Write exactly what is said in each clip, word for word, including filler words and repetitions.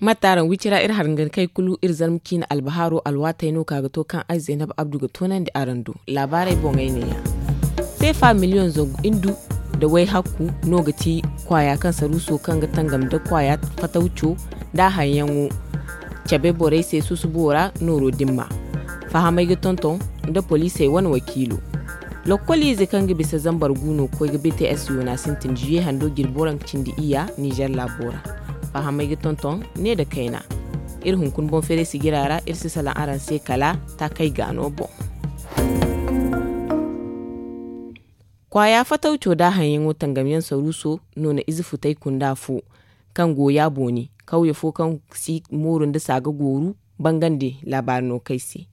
Mate araŋ wicira iri hargani kay kulu iri zarma ciine albahaaro alwaatey no ka ga to kaŋ ay zaynab abdu ga toonandi araŋ do. Laabaarey boŋey neeya. Seefa miliyoŋ zangu indu nda way hakku no ga ti kwaaya kaŋ saruuso kaŋ ga tangam nda kwaaya fatawco nda a haŋyaŋo cabe borey se susubo ra nooro dimma. Fahamey ga tonton nda poliisey wane wakiilo. Lokkoliize kaŋ ga bisa zambar gu no ga koy ga bts yoona sintin juye hando jirbi waranka cindi iyya nizer laabo ra. Fahamey ga tonton ne nda kayna. Iri hunkuna boŋ feeray sigira ra iri si salaŋ araŋ se kala taakey gaano boŋ. Kwaaya fatawco da haŋyaŋo tangamyaŋ saruuso no na ize futay kunda fo kaŋ go yaabooni kawye fo kaŋ si mooru nda saaga gooru bangandi laabaari no kay se.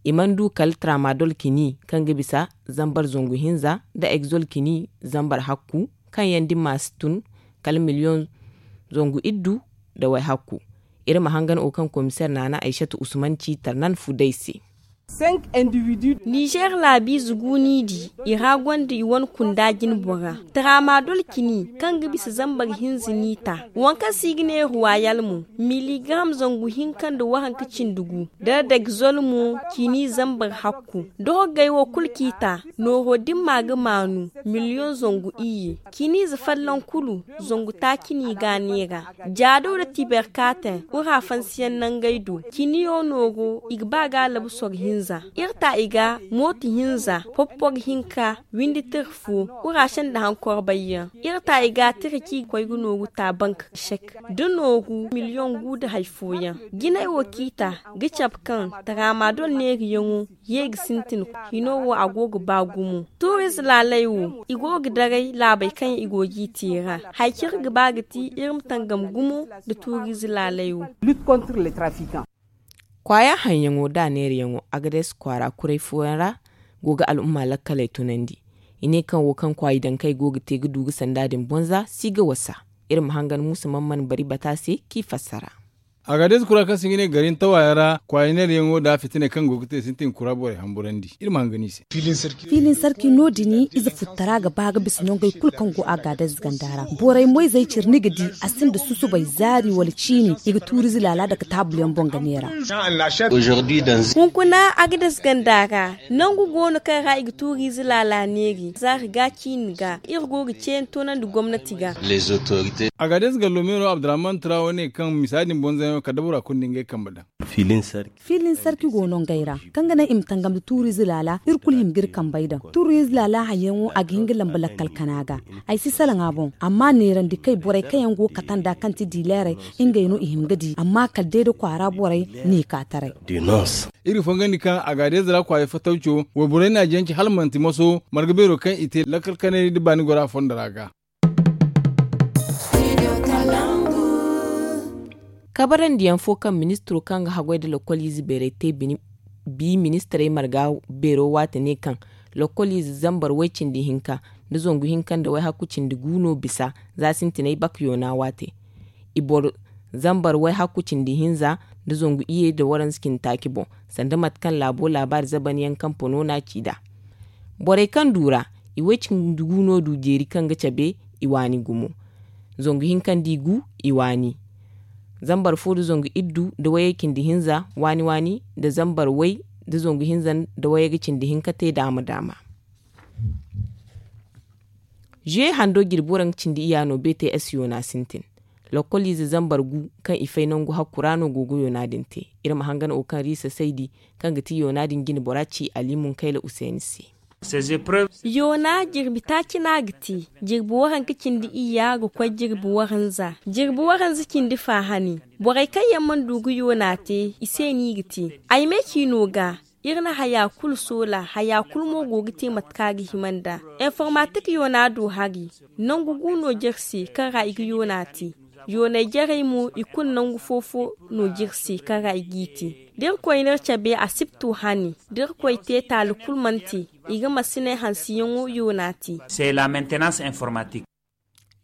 I mana du kala tramadol kini kaŋ ga bisa zambar zangu hinza nda egzol kini zambar hakku kaŋ yaŋ dimma si tun kala miliyoŋ zangu iddu nda way hakku. Iri ma hangan wo kaŋ komiseer naana aysatu usman ci tarnan fu day se. Nizer laabiize gu n'i di i ra gonda i wane kunda jine bora tramadol kini kaŋ ga bisa zambar hinza n'i ta waŋ kaŋ se i ga ne ruwayal mo miligaram zangu hinka nda waranka cindi gu da dagzol mo kini zambar hakku. Dorogey wo kulu k'i ta nooro dimma ga maanu miliyoŋ zangu iyye kiniize fallan kulu zangu taaci n'i ga a neera. Jaado nda tiberkaate wura fansiyaŋ nangey do kiniyo nooro i ga ba ga labu soro hinza. Iri ta i ga mooto hinza poppor hinka windi tira fo wura sanda hankor bayyaŋ. Iri ta i ga tira kaŋ i ga koy ga nooru ta bank sek da nooru miliyoŋ gu nda hari fooyaŋ. Jinay wo kaŋ i ta ga cabe kaŋ tramadol neeriyaŋo ye ga sintin hino wo a go ga ba gumo. Tuuriize laaley wo i go ga daray laabey kaŋ i go g'i te ra. Hari kaŋ iri ga ba ga ti iri ma tangam gumo nda tuuriize laaley wo. Kwaaya haŋyaŋo nda a neerayaŋo agades kwaara kuray fooyaŋ ra go ga al'umma lakkaley tunandi. I ne kaŋ wo kaŋ kwaayi dankey go ga te ga du ga sanda din bonza si ga wasa. Iri ma hangan muusa man mana bari bata se k'i fassara. Agades kura kaŋ se i ga ne gari ntawayaŋ ra kwaayi neerayaŋo nda fitiney kaŋ go ga te sintin kura borey hamburandi. Iri ma hangan i se. Fiilin sarki no- din ize futtara ga ba ga bisa nongey kulu kaŋ go agades ganda ra. Borey moyzey cire ni ga di a sinda susubay zaari wala ciini i ga tuuriize laala dake taabulyaŋ boŋ ga neera. Hunkuna agades ganda ra nangu go no kaŋ ra i ga tuuriize laala neeri zaari ga ciini ga iri go ga ceeyaŋ toonandi gomnati ga. Agades gallo meero abdurrahman turawo ne kaŋ misa din bonzayaŋo kala da bora kulu nda ngey kambe daŋ. Fiilin sarki go no ngey ra kaŋ ga naŋ i ma tangam nda tuuriize laala iri kulu hima ga iri kambey daŋ. Tuuriize laala haŋyaŋo a ga hin ga lamba lakkal kana ga. Ay si salaŋ a boŋ amma neerandi kay borey kaŋ yaŋ go ga kate nd'a kaŋ ti diileerey ngey no i hima ga di amma kala day da kwaara borey ne ka taray. Iri ga fongandi kaŋ agades ra kwaaya fatawco wayborey na a janci hala manti maso marga beero kaŋ i te lakkal kanay nda baani gora fondo ra ga. Kabarandiyaŋ fo kaŋ ministiro kaŋ ga haggoy nda lokkoliize beeray te bi ministirey marga beero waate ne kaŋ lokkoliize zambar way cindi hinka nda zangu hinka nda way hakku cindi gu no bisa za sintinay bak yoona waate. I boro zambar way hakku cindi hinza nda zangu iyye nda waranza cindi taaci boŋ sanda mate kaŋ laabo laabaari zabanyaŋ kaŋ pono no a ci nd'a. Borey kaŋ du ra i way cindi gu no du jeeri kaŋ ga cabe i waani gumo. Zangu hinka nda i gu i waani zambar fo nda zangu iddu nda wayey cindi hinza waani waani nda zambar way nda zangu hinza nda wayey ga cindi hinka te daama daama. Zuye hando jirbi waranka cindi iyya no bts yoona sintin. Lokkoliize zambar gu kaŋ i fay nangu hakku ra no go ga yoona din te. Iri ma hangan wo kaŋ riisa saydi kaŋ ga ti yoona din jine bora ci ali munkayla useni se. Yoona jirbi taaci no a ga te. Jirbi waranka cindi iyya ga koy jirbi waranza jirbi waranza cindi fa hane. Borey kaŋ yaŋ mana du ga yoona te i se no i ga te. Ay me ciino ga iri na haya kulu soola haya kulu mo go ga te mate kaŋ a ga hima nd'a. Informatik yoona do hari nangu gu no jare se kaŋ ra i ga yoona te. Yoonay jarey mo i kulu nangu fo-fo no jare se kaŋ ra i g'i te. Da irkoy n'iri cabe asibto hane da irkoy te taali kulu mana te i ga masiney hanseyaŋo yoona te.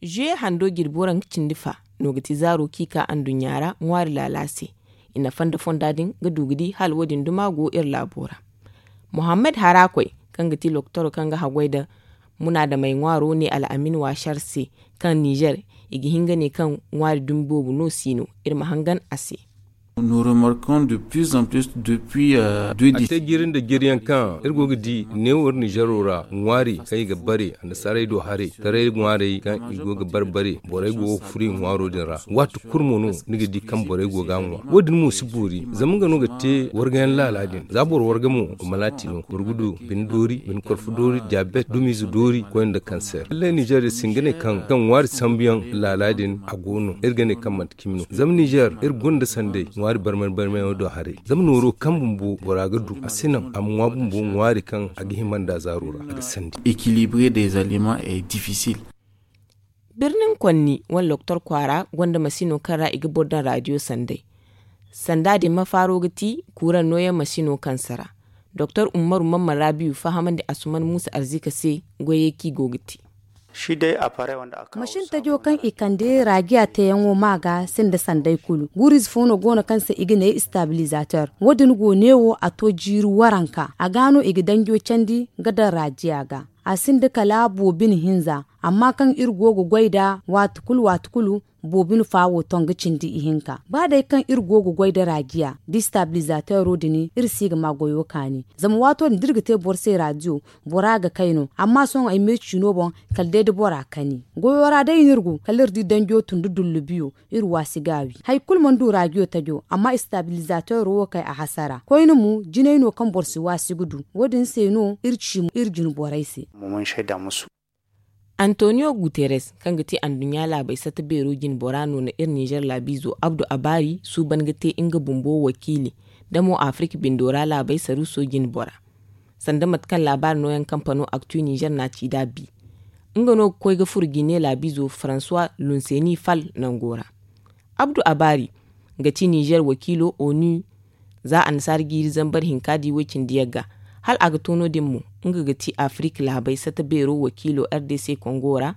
Zuye hando jirbi waranka cindi fa no ga ti zaaro kaŋ i ka anduɲɲa ra ŋwaari laala se. I na fonda fonda din ga du ga di hala wo- din duma go iri laabo ra. Muhammad harakoy kaŋ ga ti loktoro kaŋ ga haggoy nda Munaadamey ŋwaaro ne al'amin waasar se, kaŋ nizer i ga hin ga ne kaŋ ŋwaari dumi boobo no si no. Iri ma hangan a se. Nous remarquons de plus en plus depuis deux décennies. A te jiiri nda jiiriyaŋ kaŋ iri go ga di neewo iri nizero ra ŋwaari kaŋ i ga bare annasaarey do haray taray ŋwaarey kaŋ i go ga bare bare borey go ga furo i ŋwaaro din ra. Waati kulu mo no ni ga di kaŋ borey go ga a ŋwa. Wo- din mo si boori zama nga no ga te wargayaŋ laala din za boro warga mo, malaati no boro ga du bine doori bine korfo doori diyaabet dumiize doori koyne nda kanseer lallay nizer iri si hin ga ne kaŋ ŋwaari sambuyaŋ laala din a go no iri ga ne kaŋ manti cimi no zama nizer iri gonda sanday ŋwaari barmay barmayaŋo do haray. Zama nooro kaŋ bumbo bora ga du a si naŋ a ma ŋwa bumbo ŋwaari kaŋ a ga hima nda zaaro ra a ga sandi. Équilibrer des aliments est difficile. Birnin konni wala doktor kwaara gonda masino kaŋ ra i ga boro daŋ raadiyo sanday. Sanda din mafaaro ga ti kuuraŋ nooyaŋ masino kaŋ sara. Doktor ummaru mamman rabiyu fahamandi asuman muusa arzika se goyey kaŋ i go ga te. Masin tajo kaŋ i kande raajiya teeyaŋo ma ga sinda sanday kulu. Guuriize fo no go no kaŋ se i ga ne istabilizator. Wo- din go neewo a to jiiri waranka a ga no i ga danjo candi ga daŋ raajiya ga. A sinda kala boobo bine hinza amma kaŋ iri go ga goy nd'a waati kulu waati kulu. Boobo bine fa wo ton ga cindi ihinka ba day kaŋ iri go ga goy nda raajiya da istabilizateero din iri si ga ma goyo kaani. Zama waato din da iri ga te boro se raajiyo bora ga kay no. Amma sohõ ay me ciino boŋ kala day da bora kani goyo ra day no iri go kala iri di danjo tun da dullubiyo. Iri waasi ga a wi hari kulu mana du raajiyo tajo amma istabilizateero wo kay a hasara koyne mo jinay no kaŋ boro si waasi ga du. Wo- din se no iri ci iri jine borey se. Antoniyo guterres kaŋ ga ti anduɲɲa laabey satta beero jinbora no na iri nizer laabiizo abdu abaari suuban ga te nga bumbo wakiili. Damo afirik bindo ra laabey saruuso jinbora sanda mate kaŋ laabaari nooyaŋ kampano aktu nizer na ci nd'a bi. Nga no ga koy ga furo gine laabiizo faransuwa lunseni fal nango ra. Abdu abaari ga ti nizer wakiilo onu. Za annasaara jiiri zambar hinka di woy-cindi yagga hala a ga to no- din mo. Nga ga ti afirik laabey satta beero wakiilo r d c kongo ra.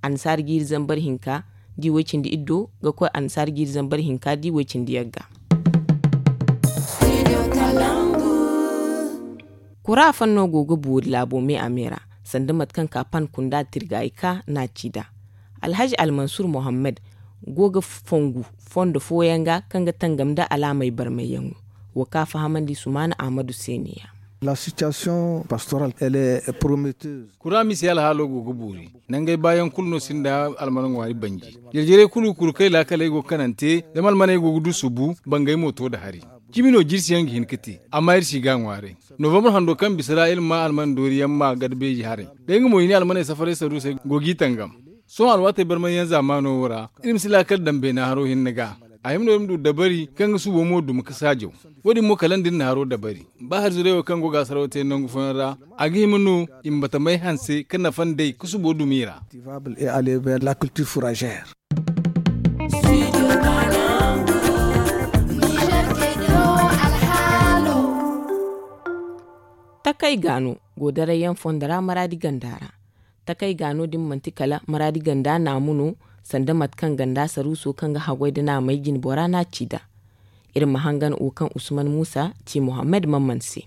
Annasaara jiiri zambar hinka di woy-cindi iddo ga koy annasaara jiiri zambar hinka di woy-cindi yagga. Kura fanno go ga boori laabo me a me ra sanda mate kaŋ ka pan kunda tirgaayi ka na a ci nd'a. Alhaji almansur mohammed go ga fongu fondo fooyaŋ ga kaŋ ga tangam nda alaamey barmayyaŋo. Wo ka fahamandi sumaana ahmadu se ne-ya. Kura mise alhaalo go ga boori. Nangey baayaŋ kulu no sinda alman ŋwaari banji. Jarjarey kulu kuru kay laakaley go ga kanante zama almaney go ga du subu bangey mo to nda hari. Cimi no jirsiyaŋ ga hin ga te amma iri si ga a ŋwaaray. Novambar hando kaŋ bisa ra iri ma alman dooriyaŋ ma gada beeji haray. Day nga mo i ne almaney safaray saruusey go g'i tangam. Sohõ alwaatey barmayyaŋ zaamaano wo ra iri ma si laakal daŋ beena haro hinne ga. A hima no iri ma du dabari kaŋ ga subo mo dumi ga saajaw. Wo- din mo kala nda iri na haro dabari ba hari zurey wo kaŋ go ga a saraw te nangu fooyaŋ ra. A ga hima no i ma batamey hanse ga nafa nd'ey ga subo dumi i ra. Takey gaano go darayyaŋ fondo ra maraadi ganda ra. Takey gaano din manti kala maraadi ganda naamu no. Sanda mate kaŋ ganda saruuso kaŋ ga haggoy nda naamey jinbora no a ci nd'a. Iri ma hangan wo kaŋ usman muusa ci mohammed mamman se.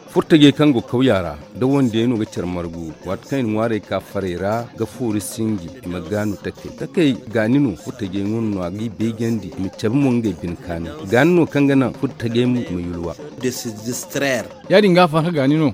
Furtajey kaŋ go kawya ra da wandey no ga care margu. Waati kaŋ i na ŋwaarey ka farey ra ga foori sinji i ma gaanu takey takey. Gaani no furtajey ŋun no a g'i beejandi i ma cabe mo ngey bine kaanay. Gaani no kaŋ ga naŋ furtajey mo i ma yulwa. Ya- din ga a farhã gaani no.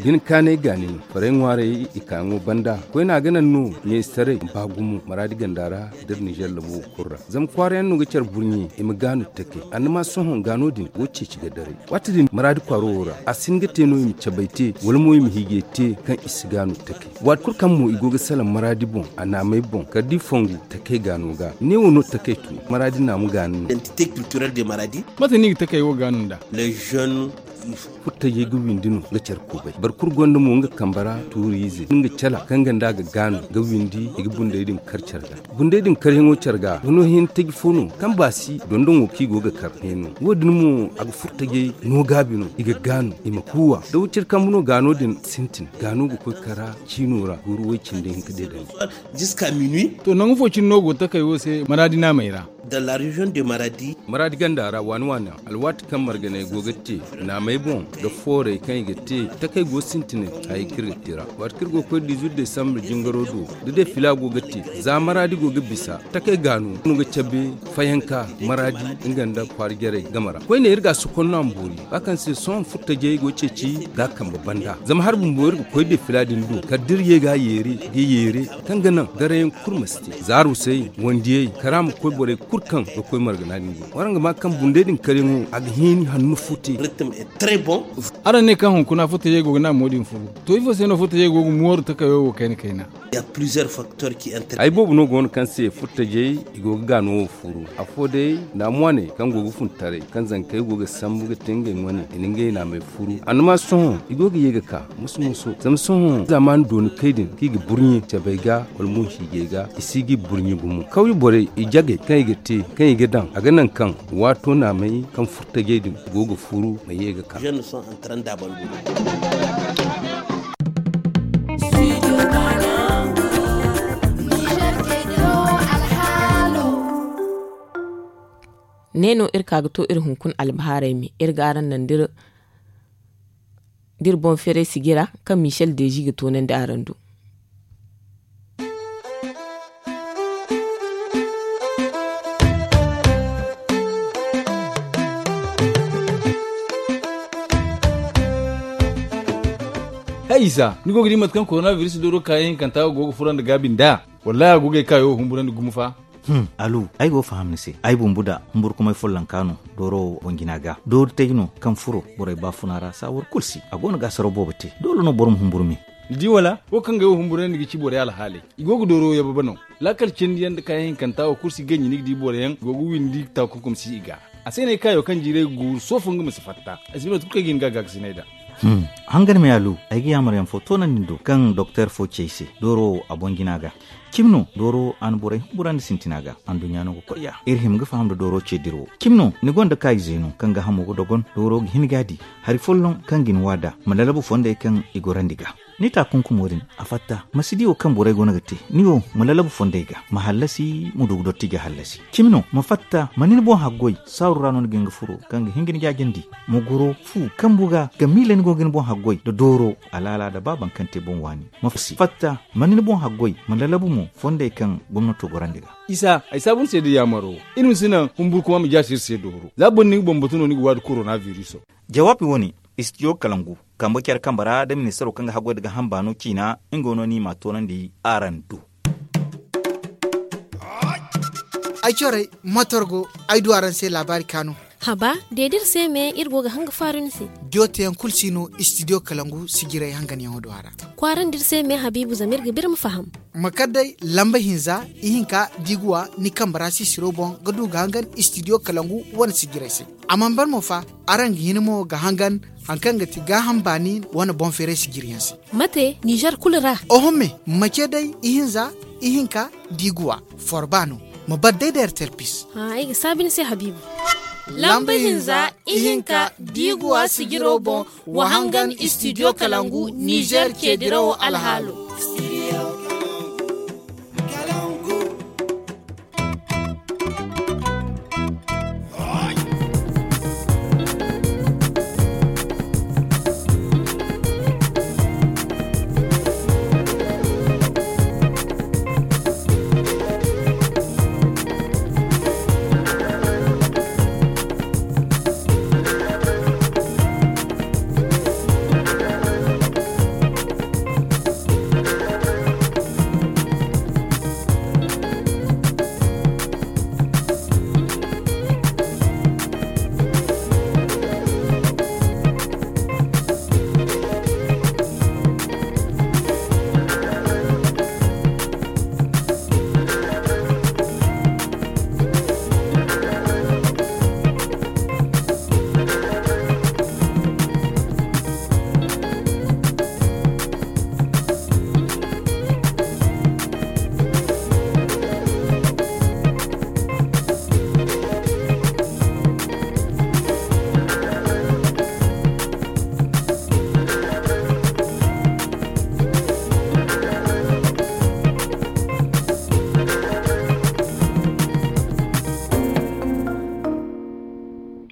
Bine kaanay gaani no farey ŋwaarey i kaayaŋo banda koyne a ga naŋ no ɲayzetaray ma ba gumo maraadi ganda ra. Da iri nizer labo kulu ra zama kwaarayaŋ no ga care burɲe i ma gaanu takey annama sohõ gaano din wo ceeci ga daray. Waati din maraadi kwaaro wo ra a si hin ga te no i ma cabay te wala mo i ma hiijay te kaŋ i si gaanu takey. Waati kulu kaŋ mo i go ga salaŋ maraadi boŋ a naamey boŋ kala da i fongu takey gaano ga neewo no takey tun maraadi naamu gaani no. Mate no i ga takey wo gaanu nd'a? Furtajey ga windi no ga care kubay boro kulu gonda mo nga kambe ra tuuriize nga cala kaŋ ganda ga gaanu ga windi i ga bundey din kar care ga. Bundey din karyaŋo care ga ga no hin taji fo no kaŋ baasi dondoŋo kaŋ i go ga kar heeno wo- din mo a ga furtajey no gaabi no i ga gaanu i ma kuuwa da wiciri kambe no gaano din sintin gaano ga koy kara ciino ra guuru way cindi hinka deedandi. To nangu fo cine no go takey wo se maraadi naamey ra. Dans la région de Maradi. Maradi ganda ra waani waani, alwaati kaŋ marganey go ga te naamey boŋ, da foorey kaŋ i ga te, takey go sintinay hayey kaŋ iri ga te ra. Waati kaŋ iri go ga koy dizuwit desambre jingaro do, da defila go ga te, za Maradi go ga bisa, takey gaano no ga cabe fayanka Maradi nga nda kwaara jarey game ra. Koyne iri ga a sokonno a ma boori, ba kaŋ se sohõ furtajey go ceeci ga a kambe banda. Zama hari bumbo iri ga koy defila din do, kala da iri ye ga a yeere, ga yeere, kaŋ ga naŋ garayaŋ kulu ma si te. Za arusey, wandiyey, kala a ma koy borey kulu kaŋ ga koy margana din do. Waraŋ ga ma kaŋ bundey din karyaŋo, a ga hini hanno fo te. Araŋ ne kaŋ hunkuna furtajey go ga naamo din furu. To, ifo se no furtajey go ga mooru takayo wo kayna kayna? Ay boobo no go no kaŋ se furtajey i go ga gaano wo furu. Afo day, naamu wane kaŋ go ga fun taray, kaŋ zankey go ga sambu ga te ngey wane, i na ngey naamey furu. Annama sohõ, i go ga ye ga ka, musu-musu. Zama sohõ, zamani dooni kay din, kaŋ i ga burɲe cabey ga, wala mo hiijey ga, i si ga i burɲe gumo. Kawye borey, i jagey kaŋ i ga te, kaŋ i ga daŋ, a ga naŋ kaŋ waato naamey kaŋ furtajey din go ga furu ma ye ga ka. Ne no iri ka ga to iri hunkuna albahaarey me, iri ga araŋ naŋ da iri da iri boŋ feeray sijira kaŋ michel deezi ga toonandi araŋ do. Hay isa, ni go ga di mate kaŋ koronabiris dooro kaayaŋ hinkanta go ga furo nda gaabi nd'a? Wallahi a go ga ay kaayo humburandi gumo fa. Alu, ay go ga faham ni se. Ay bumbu da humburkumay follonka no dooro boŋ jina ga. Doori tay no kaŋ furo borey baafuna ra saawar kulu se. A go no ga saraw boobo te. Doole no boro ma humburu me. Ni di wala? Wo kaŋ ga ay wo humburandi ga ci borey alhaaley. I go ga dooro yababa no. Laakal cindi yaŋ nda kaayaŋ hinkanta wo kulu si ganji ni ga di boro yaŋ go ga windi taakunkum si i ga. A se no ay kaayo kaŋ jiiray ga guuru soofo nga ma si fatta. Ay si bay mate kulu kaŋ ay ga hin ga gaakasinay nd'a. Hangan me alu, ay ga yaamar yaŋ fo toonandi ni do kaŋ doktor fo ci ay se dooro wo a boŋ jina ga. Cimi no dooro a na borey humburandi sintina ga. Anduɲɲa no ga koy ya iri hima ga faham nda dooro ce dirawo. Cimi no ni gonda kaayize no kaŋ ga hamo ga dogon dooro ga hin ga a di hari folloŋ kaŋ ga ni waada ma lalabu fondey kaŋ i gorandi ga. Ni taakunkumo din a fatta ma si di wo kaŋ borey go no ga te. Ni wo ma lalabu fondey ga ma hallasi ma du ga dotti ga hallasi. Cimi no ma fatta ma ni ni boŋ haggoy saaru ra no ni ga hin ga furo kaŋ ga hin ga ni jaajandi. Ma goro fu kambu ga ga miila ni go ga ni boŋ haggoy nda dooro alaala nda baaban kaŋ te boŋ waani. Ma si fatta ma ni ni boŋ haggoy ma lalabu mo fondey kaŋ gomnato gorandi ga. Isa ay saabu ni se da yaamaro. Iri ma si naŋ humburkuma ma jaasi iri se dooro za boro ni ga bambatu no ni ga waadi korona biriso. Jawaabi wo-ne, istidiyo kalangu kambe care kambe ra nda ministaro kaŋ ga haggoy nda ga hamba no ciina. Nga no ni m'a toonandi araŋ do. Ay corey matorgo ay du araŋ se laabaari kaanu. Haba, de da iri se me iri go ga hanga faaru ni se. Diyo teyaŋ kulu si no istidiyo kalangu sijiray hanganyaŋo do a ra. Kwaarandi iri se me habiibu zama iri ga ba iri ma faham. Ma kar day lamba hinza ihinka da i ga wa ni kambe ra sisiro boŋ ga du ga hangan istidiyo kalangu wane sijiray se. A mana ban mo fa, araŋ ga hin mo ga hangan hari kaŋ ga ti gaaham baani wane boŋ feeray sijiriyaŋ se. Mate nizer kulu ra? Oho me, mace day ihinza ihinka da i ga wa forba no. Ma bar day da ertelpis. Ay ga saabi ni se habiibu. Lamba hinza ihinka da i ga wa sijiro boŋ, wa hangan istidiyo kalangu nizer ce dirawo alhaalo.